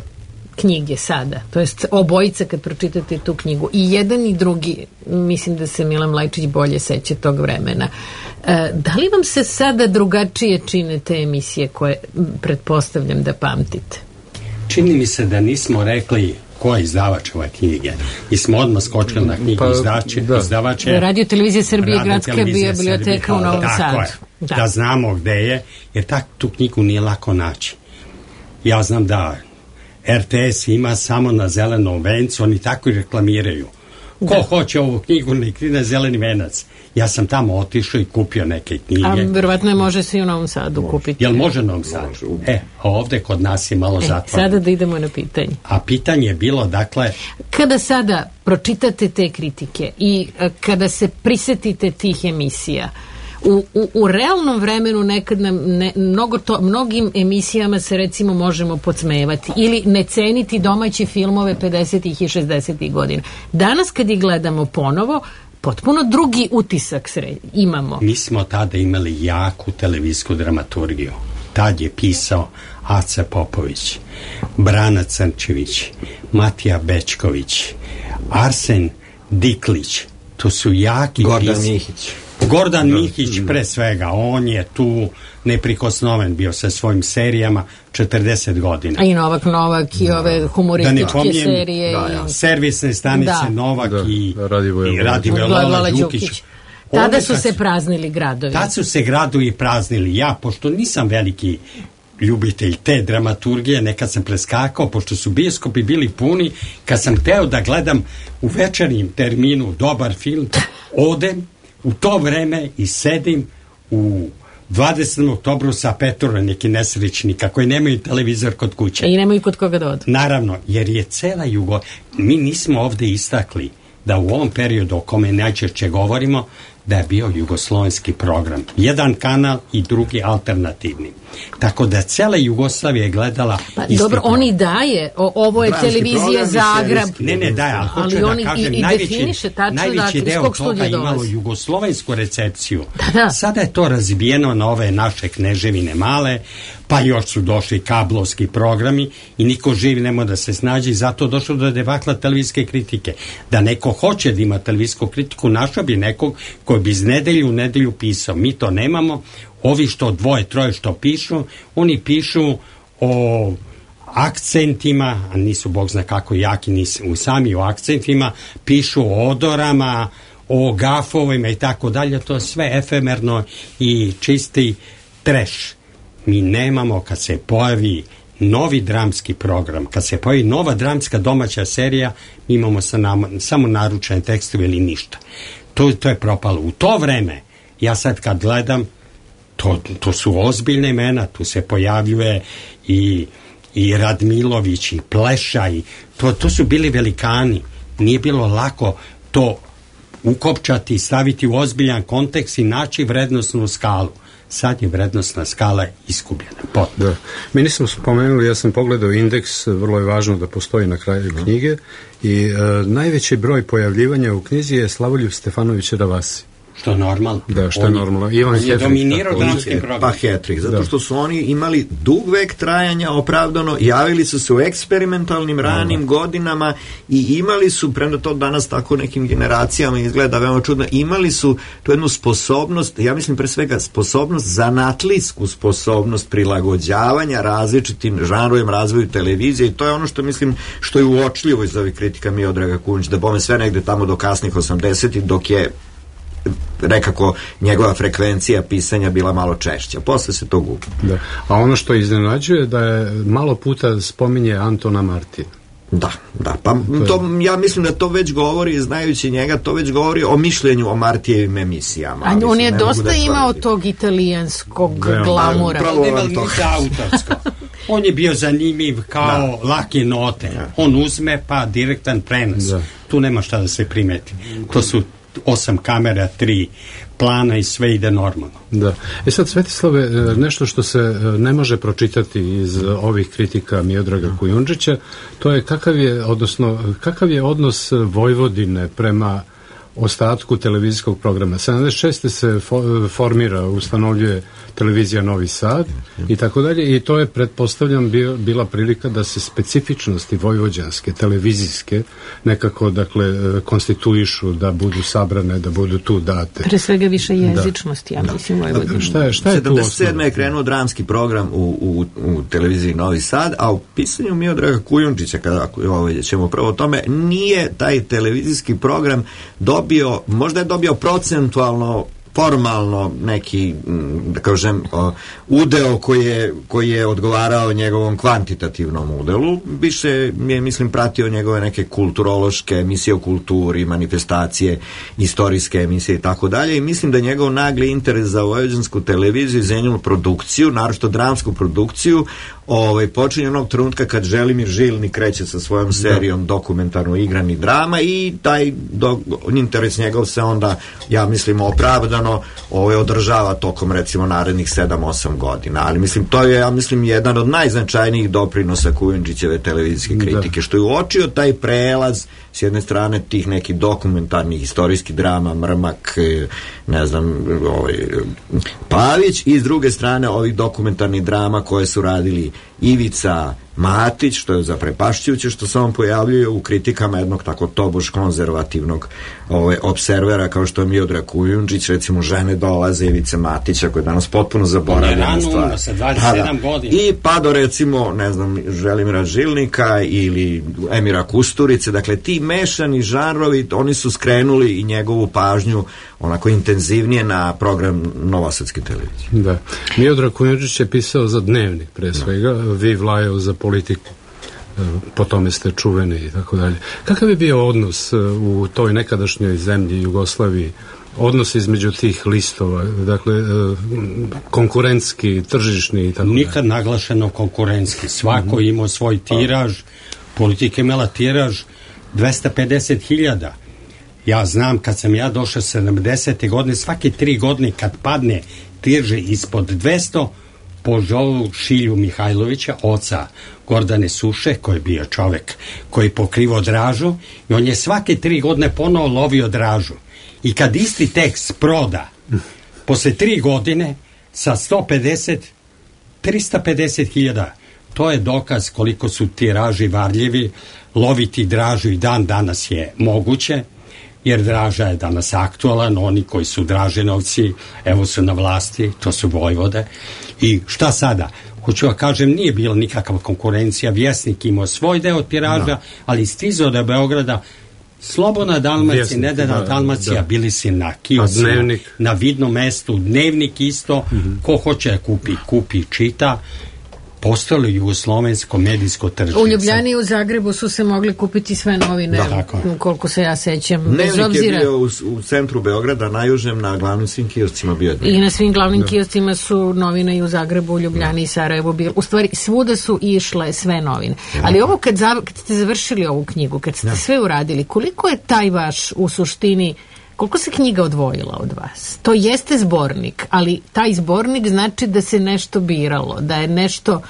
S4: knjige sada, to jest obojica kad pročitate tu knjigu, i jedan i drugi, mislim da se Milan Mlajčić bolje seća tog vremena. Da li vam se sada drugačije čine te emisije koje pretpostavljam da pamtite?
S2: Čini mi se da nismo rekli ko je izdavač ove knjige. I smo odmah skočili na knjigu izdavače.
S4: Radio Televizija Srbije, Gradska biblioteka u Novom Sadu.
S2: Da znamo gde je, jer tu knjigu nije lako naći. Ja znam da RTS ima samo na Zelenom vencu, oni tako i reklamiraju. Ko hoće ovu knjigu, nek ide na Zeleni venac. Ja sam tamo otišao i kupio neke knjige.
S4: A verovatno je može se i u Novom Sadu kupiti.
S2: Jel može u Novom Sadu? A ovde kod nas je malo zatvoreno.
S4: Sada da idemo na pitanje.
S2: A pitanje je bilo, dakle...
S4: Kada sada pročitate te kritike i kada se prisetite tih emisija, u realnom vremenu nekad nam mnogim emisijama se recimo možemo podsmevati ili ne ceniti domaće filmove 50. i 60. godina. Danas kad ih gledamo ponovo, potpuno drugi utisak imamo.
S2: Mi smo tada imali jaku televizijsku dramaturgiju. Tad je pisao Aca Popović, Brana Crnčević, Matija Bečković, Arsen Diklić. To su jaki Gordan Mihić pre svega, on je tu neprikosnoven bio sa svojim serijama 40 godina.
S4: A i Novak i ove humorističke serije.
S2: Servisne stanice Novak i Radivoje Lola Đukić.
S4: Tada su se praznili gradovi.
S2: Tad su se gradovi praznili. Ja, pošto nisam veliki ljubitelj te dramaturgije, nekad sam preskakao, pošto su bioskopi bili puni, kad sam teo da gledam u večernjem terminu dobar film, odem u to vreme i sedim u 20. oktobru sa Petora, neki nesrećnika koji nemaju televizor kod kuće.
S4: I nemaju kod koga da odu.
S2: Naravno, jer je cela mi nismo ovde istakli da u ovom periodu o kome najčešće govorimo, da je bio jugoslovenski program. Jedan kanal i drugi alternativni. Tako da cela Jugoslavija je gledala isti
S4: dobro, on i daje. Ovo je televizija Zagreb.
S2: Ne daje, ali hoću da kažem, najveći deo toga imalo jugoslovensku recepciju. Sada je to razbijeno na ove naše kneževine male, pa još su došli kablovski programi i niko živi ne može da se snađe i zato došlo do debakla televizijske kritike. Da neko hoće da ima televizijsku kritiku, našao bi nekog koji bi iz nedelju u nedelju pisao. Mi to nemamo. Ovi što dvoje, troje što pišu, oni pišu o akcentima, a nisu bog zna kako jaki, nisu sami o akcentima, pišu o odorama, o gafovima i tako dalje, to je sve efemerno i čisti treš. Mi nemamo, kad se pojavi novi dramski program, kad se pojavi nova dramska domaća serija, mi imamo samo naručene tekstove ili ništa. To je propalo. U to vreme, ja sad kad gledam, to su ozbiljne imena, tu se pojavljuje i Radmilović i Pleša i to su bili velikani. Nije bilo lako to ukopčati, staviti u ozbiljan kontekst i naći vrednostnu skalu. Sad je vrednostna skala iskubljena.
S5: Da. Mi nismo spomenuli, ja sam pogledao indeks, vrlo je važno da postoji na kraju knjige i najveći broj pojavljivanja u knjizi je Slavoljub Stefanović Ravasi.
S2: Što je normalno.
S5: Da, što je normalno.
S2: On je dominirao dramski program.
S3: Pa Hetrik, zato što su oni imali dug vek trajanja, opravdano, javili su se u eksperimentalnim ranim godinama i imali su, premda to danas tako nekim generacijama izgleda veoma čudno, imali su tu jednu sposobnost, ja mislim pre svega sposobnost, zanatlijsku sposobnost prilagođavanja različitim žanrovima, razvoju televizije i to je ono što mislim, što je uočljivo iz ovih kritika Miodraga Kunjića, da bome sve negde tamo do kasnih 80-ih, dok je nekako njegova frekvencija pisanja bila malo češća. Posle se to gubi.
S5: Da. A ono što iznenađuje da je malo puta spominje Antona Martina.
S3: Da. Pa to, ja mislim da to već govori, znajući njega, to već govori o mišljenju o Martijevim emisijama.
S4: A on je dosta imao tog italijanskog glamura.
S2: On je bio zanimljiv kao lake note. On uzme pa direktan prenos. Tu nema šta da se primeti. To su 8 kamera, 3 plana i sve ide normalno.
S5: Da. Sad, Svetislave, nešto što se ne može pročitati iz ovih kritika Miodraga Kujundžića, to je kakav je odnos Vojvodine prema ostatku televizijskog programa. 76. se ustanovljuje televizija Novi Sad i tako dalje, i to je, pretpostavljam, bila prilika da se specifičnosti vojvođanske, televizijske, nekako, dakle, konstituišu, da budu sabrane, da budu tu date.
S4: Pre svega više jezičnosti, ja mislim, Vojvodina.
S5: Šta je tu osnovno?
S3: 77. je krenuo dramski program u televiziji Novi Sad, a u pisanju Miodraga Kujundžića, kada ćemo prvo o tome, nije taj televizijski program dobio, možda je dobio procentualno, formalno neki, da kažem, udeo koji je odgovarao njegovom kvantitativnom udelu. Više je, mislim, pratio njegove neke kulturološke emisije o kulturi, manifestacije, istorijske emisije i tako dalje, i mislim da njegov nagli interes za vojvođansku televiziju i za njenu produkciju, naročito dramsku produkciju, počinje onog trenutka kad Želimir Žilnik kreće sa svojom serijom dokumentarno igrani drama, i taj interes njegov se onda, ja mislim, opravdano održava tokom, recimo, narednih 7-8 godina. Ali mislim, to je, ja mislim, jedan od najznačajnijih doprinosa Kujundžićeve televizijske kritike, što je uočio taj prelaz s jedne strane tih nekih dokumentarnih istorijskih drama, Mrmak, ne znam, Pavić, i s druge strane ovih dokumentarnih drama koje su radili Ivica Matić, što je zaprepašćujuće, što se on pojavljuje u kritikama jednog tako tobož konzervativnog observera kao što je Miodrag Kujundžić. Recimo, Žene dolaze Ivice Matića, koji je danas potpuno zaboravljena stvar.
S2: Sa 27 godina.
S3: I pa do, recimo, ne znam, Želimira Žilnika ili Emira Kusturice. Dakle, ti mešani žanrovi, oni su skrenuli i njegovu pažnju onako intenzivnije na program novosadske televizije.
S5: Da. Miodrag Kujundžić je pisao za Dnevnik, pre svega, Vi Vlajov za Politiku, po tome ste čuveni i tako dalje. Kakav je bio odnos u toj nekadašnjoj zemlji Jugoslaviji, odnos između tih listova, dakle, konkurentski, tržišni i tako dalje?
S2: Nikad naglašeno konkurentski. Svako imao svoj tiraž, Politika imala tiraž 250.000. Ja znam, kad sam ja došao 70. godine, svake 3 godine kad padne tirže ispod 200, pozovu Šilju Mihajlovića, oca Gordane Suše, koji je bio čovek koji pokrivo dražu, i on je svake 3 godine ponovo lovio dražu. I kad isti tekst proda posle 3 godine sa 150, 350.000, to je dokaz koliko su tiraži varljivi. Loviti dražu i dan danas je moguće, jer draža je danas aktualan. Oni koji su draženovci, evo su na vlasti, to su Vojvode. I šta sada? Hoću da kažem, nije bila nikakva konkurencija. Vjesnik imao svoj deo tiraža, ali stizao do Beograda Slobodna Dalmacija, Nedena Dalmacija, bili si na kiosima, na vidnom mestu, Dnevnik isto, ko hoće da kupi, čita. Postalo jugoslovensko medijsko tržište.
S4: U Ljubljani i u Zagrebu su se mogli kupiti sve novine, koliko se ja sećam.
S3: Dnevnik je bio u centru Beograda, najužem, na glavnim svim kioscima bio Dnevnik.
S4: I na svim glavnim kioscima su novine i u Zagrebu, u Ljubljani i Sarajevu bilo. U stvari, svuda su išle sve novine. Ali ovo kad ste završili ovu knjigu, kad ste sve uradili, koliko je taj vaš, u suštini, koliko se knjiga odvojila od vas? To jeste zbornik, ali taj zbornik znači da se nešto biralo, da je nešto,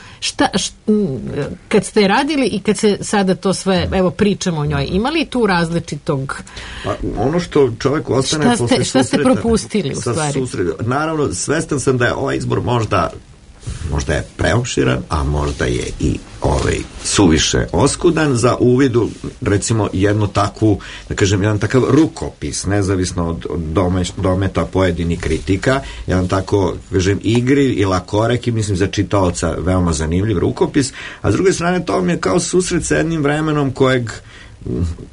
S4: kad ste radili i kad se sada to sve, evo, pričamo o njoj, imali tu različitog?
S3: Pa, ono što čovjek ostane posle susreta...
S4: Šta ste propustili u stvari?
S3: Naravno, svestan sam da je ovaj izbor možda je preopširan, a možda je i suviše oskudan za uvidu, recimo, jednu takvu, da kažem, jedan takav rukopis, nezavisno od dometa pojedinih kritika, jedan tako, kažem, igriv i lakorek i, mislim, za čitaoca veoma zanimljiv rukopis, a s druge strane to mi je kao susret sa jednim vremenom kojeg,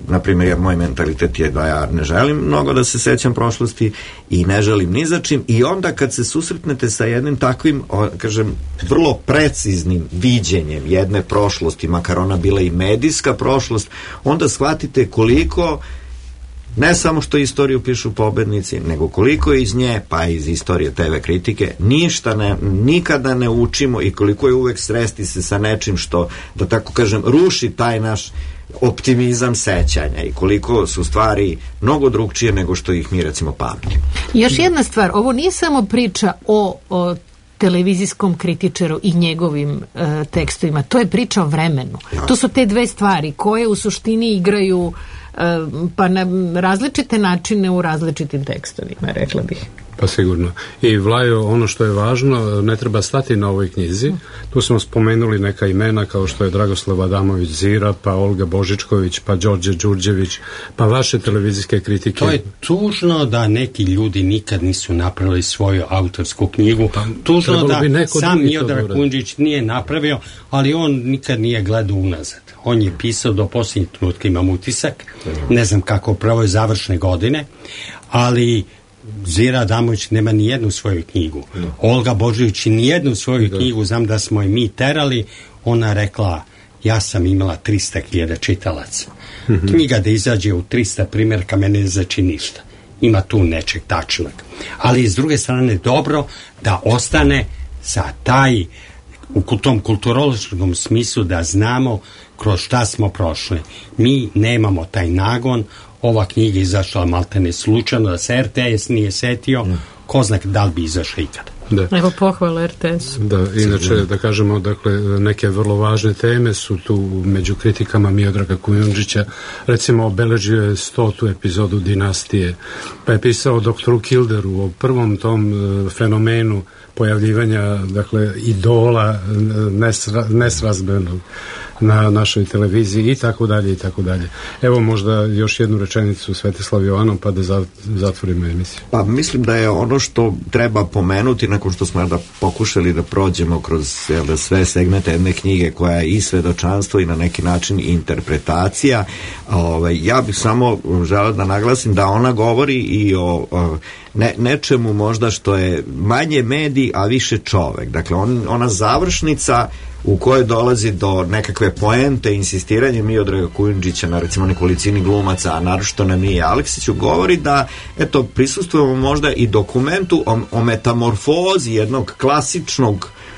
S3: na primjer, moj mentalitet je da ja ne želim mnogo da se sećam prošlosti i ne želim ni za čim, i onda kad se susretnete sa jednim takvim, kažem, vrlo preciznim viđenjem jedne prošlosti, makar ona bila i medijska prošlost, onda shvatite koliko, ne samo što istoriju pišu pobednici, nego koliko iz nje, pa iz istorije TV kritike, nikada ne učimo, i koliko je uvek sresti se sa nečim što, da tako kažem, ruši taj naš optimizam sećanja, i koliko su stvari mnogo drugčije nego što ih mi, recimo, pamtimo.
S4: Još jedna stvar, ovo nije samo priča o televizijskom kritičaru i njegovim tekstovima, to je priča o vremenu. To su te dve stvari koje u suštini igraju pa na različite načine u različitim tekstovima, rekla bih.
S5: Pa sigurno. I Vlajo, ono što je važno, ne treba stati na ovoj knjizi. Tu smo spomenuli neka imena kao što je Dragoslav Adamović Zira, pa Olga Božičković, pa Đorđe Đurđević, pa vaše televizijske kritike.
S2: To je tužno da neki ljudi nikad nisu napravili svoju autorsku knjigu. Tužno da sam Miodrag Kujundžić nije napravio, ali on nikad nije gledao unazad. On je pisao do posljednjeg trenutka, imam utisak. Ne znam kako pravo je završne godine, ali Zira Adamović nema ni jednu svoju knjigu. Olga Božović ni jednu svoju knjigu, znam da smo je mi terali, ona rekla, ja sam imala 300.000 čitalaca. Knjiga da izađe u 300 primjerka mene ne znači ništa. Ima tu nečeg tačnog. Ali s druge strane dobro da ostane za taj u tom kulturološkom smislu da znamo kroz šta smo prošli. Mi nemamo taj nagon. Ova knjiga izašla maltene slučajno, da se RTS nije setio, ko zna da li bi izašla ikada.
S4: Da. Evo pohvala RTS.
S5: Da, inače da kažemo, dakle, neke vrlo važne teme su tu među kritikama Miodraga Kujundžića. Recimo, obeležio je 100. epizodu Dinastije, pa je pisao doktoru Kilderu o prvom tom fenomenu pojavljivanja, dakle, idola nesrazmernog na našoj televiziji i tako dalje i tako dalje. Evo možda još jednu rečenicu Svetislav Jovanov pa da zatvorimo emisiju.
S3: Pa mislim da je ono što treba pomenuti nakon što smo da pokušali da prođemo kroz sve segmente jedne knjige koja je i svedočanstvo i na neki način i interpretacija. Ja bih samo želeo da naglasim da ona govori i o nečemu možda što je manje medij, a više čovek. Dakle, ona završnica u kojoj dolazi do nekakve poente, insistiranje Miodraga Kujundžića na recimo nekolicini glumaca, a naročito na Miji Aleksiću, govori da eto prisustvujemo možda i dokumentu o metamorfozi jednog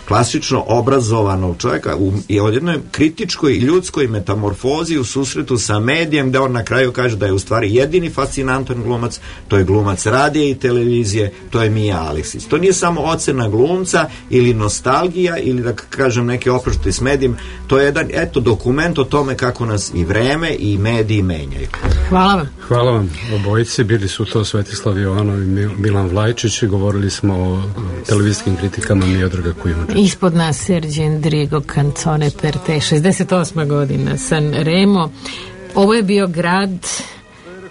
S3: klasično obrazovanog čovjeka i o jednoj kritičkoj i ljudskoj metamorfozi u susretu sa medijem, gde on na kraju kaže da je u stvari jedini fascinantan glumac, to je glumac radija i televizije, to je Mija Aleksić. To nije samo ocena glumca ili nostalgija ili da kažem neke oproštaj s medijem, to je jedan dokument o tome kako nas i vreme i mediji menjaju.
S4: Hvala vam.
S5: Hvala vam obojici, bili su to Svetislav Jovanov i Milan Vlajčić i govorili smo o televizijskim kritikama Miodraga Kujundžića.
S4: Ispod nas Serđe Endrigo Canzone per te, 68. godina, San Remo. Ovo je bio Grad,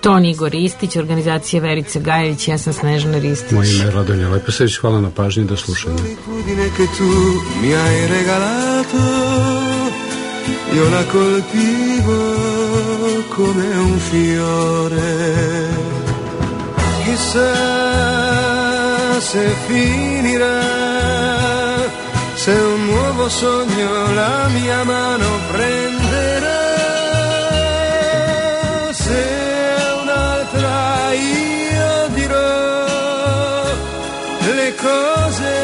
S4: Ton Igor Ristić, organizacija Verice Gajević, ja sam Snežana Ristić.
S5: Moje ime je Radonja Leposević, hvala na pažnji, do slušanja. Io la coltivo come un fiore, chissà se finirà, se un nuovo sogno la mia mano prenderà, se un'altra io dirò le cose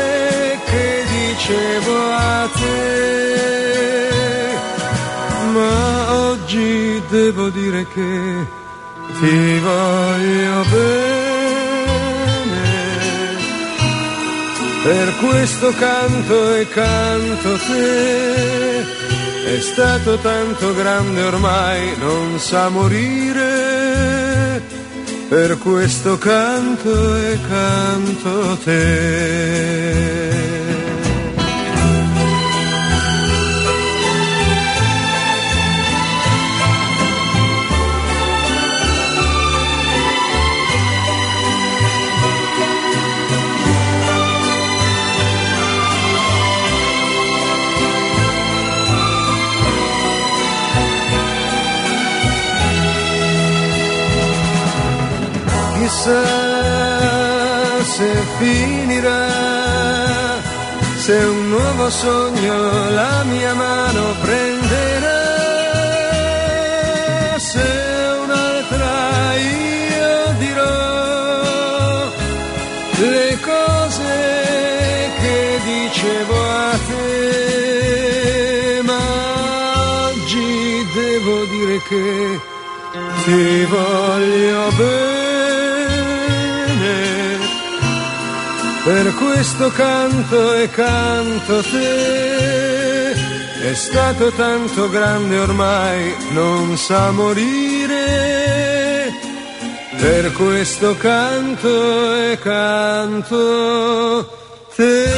S5: che dicevo a te. Ma oggi devo dire che ti voglio bene, per questo canto e canto te, è stato tanto grande ormai non sa morire, per questo canto e canto te. Chissà se finirà, se un nuovo sogno la mia mano prenderà, se un'altra io dirò le cose che dicevo a te, ma oggi devo dire che ti voglio bene, per questo canto e canto te,
S9: è stato tanto grande ormai, non sa morire, per questo canto e canto te.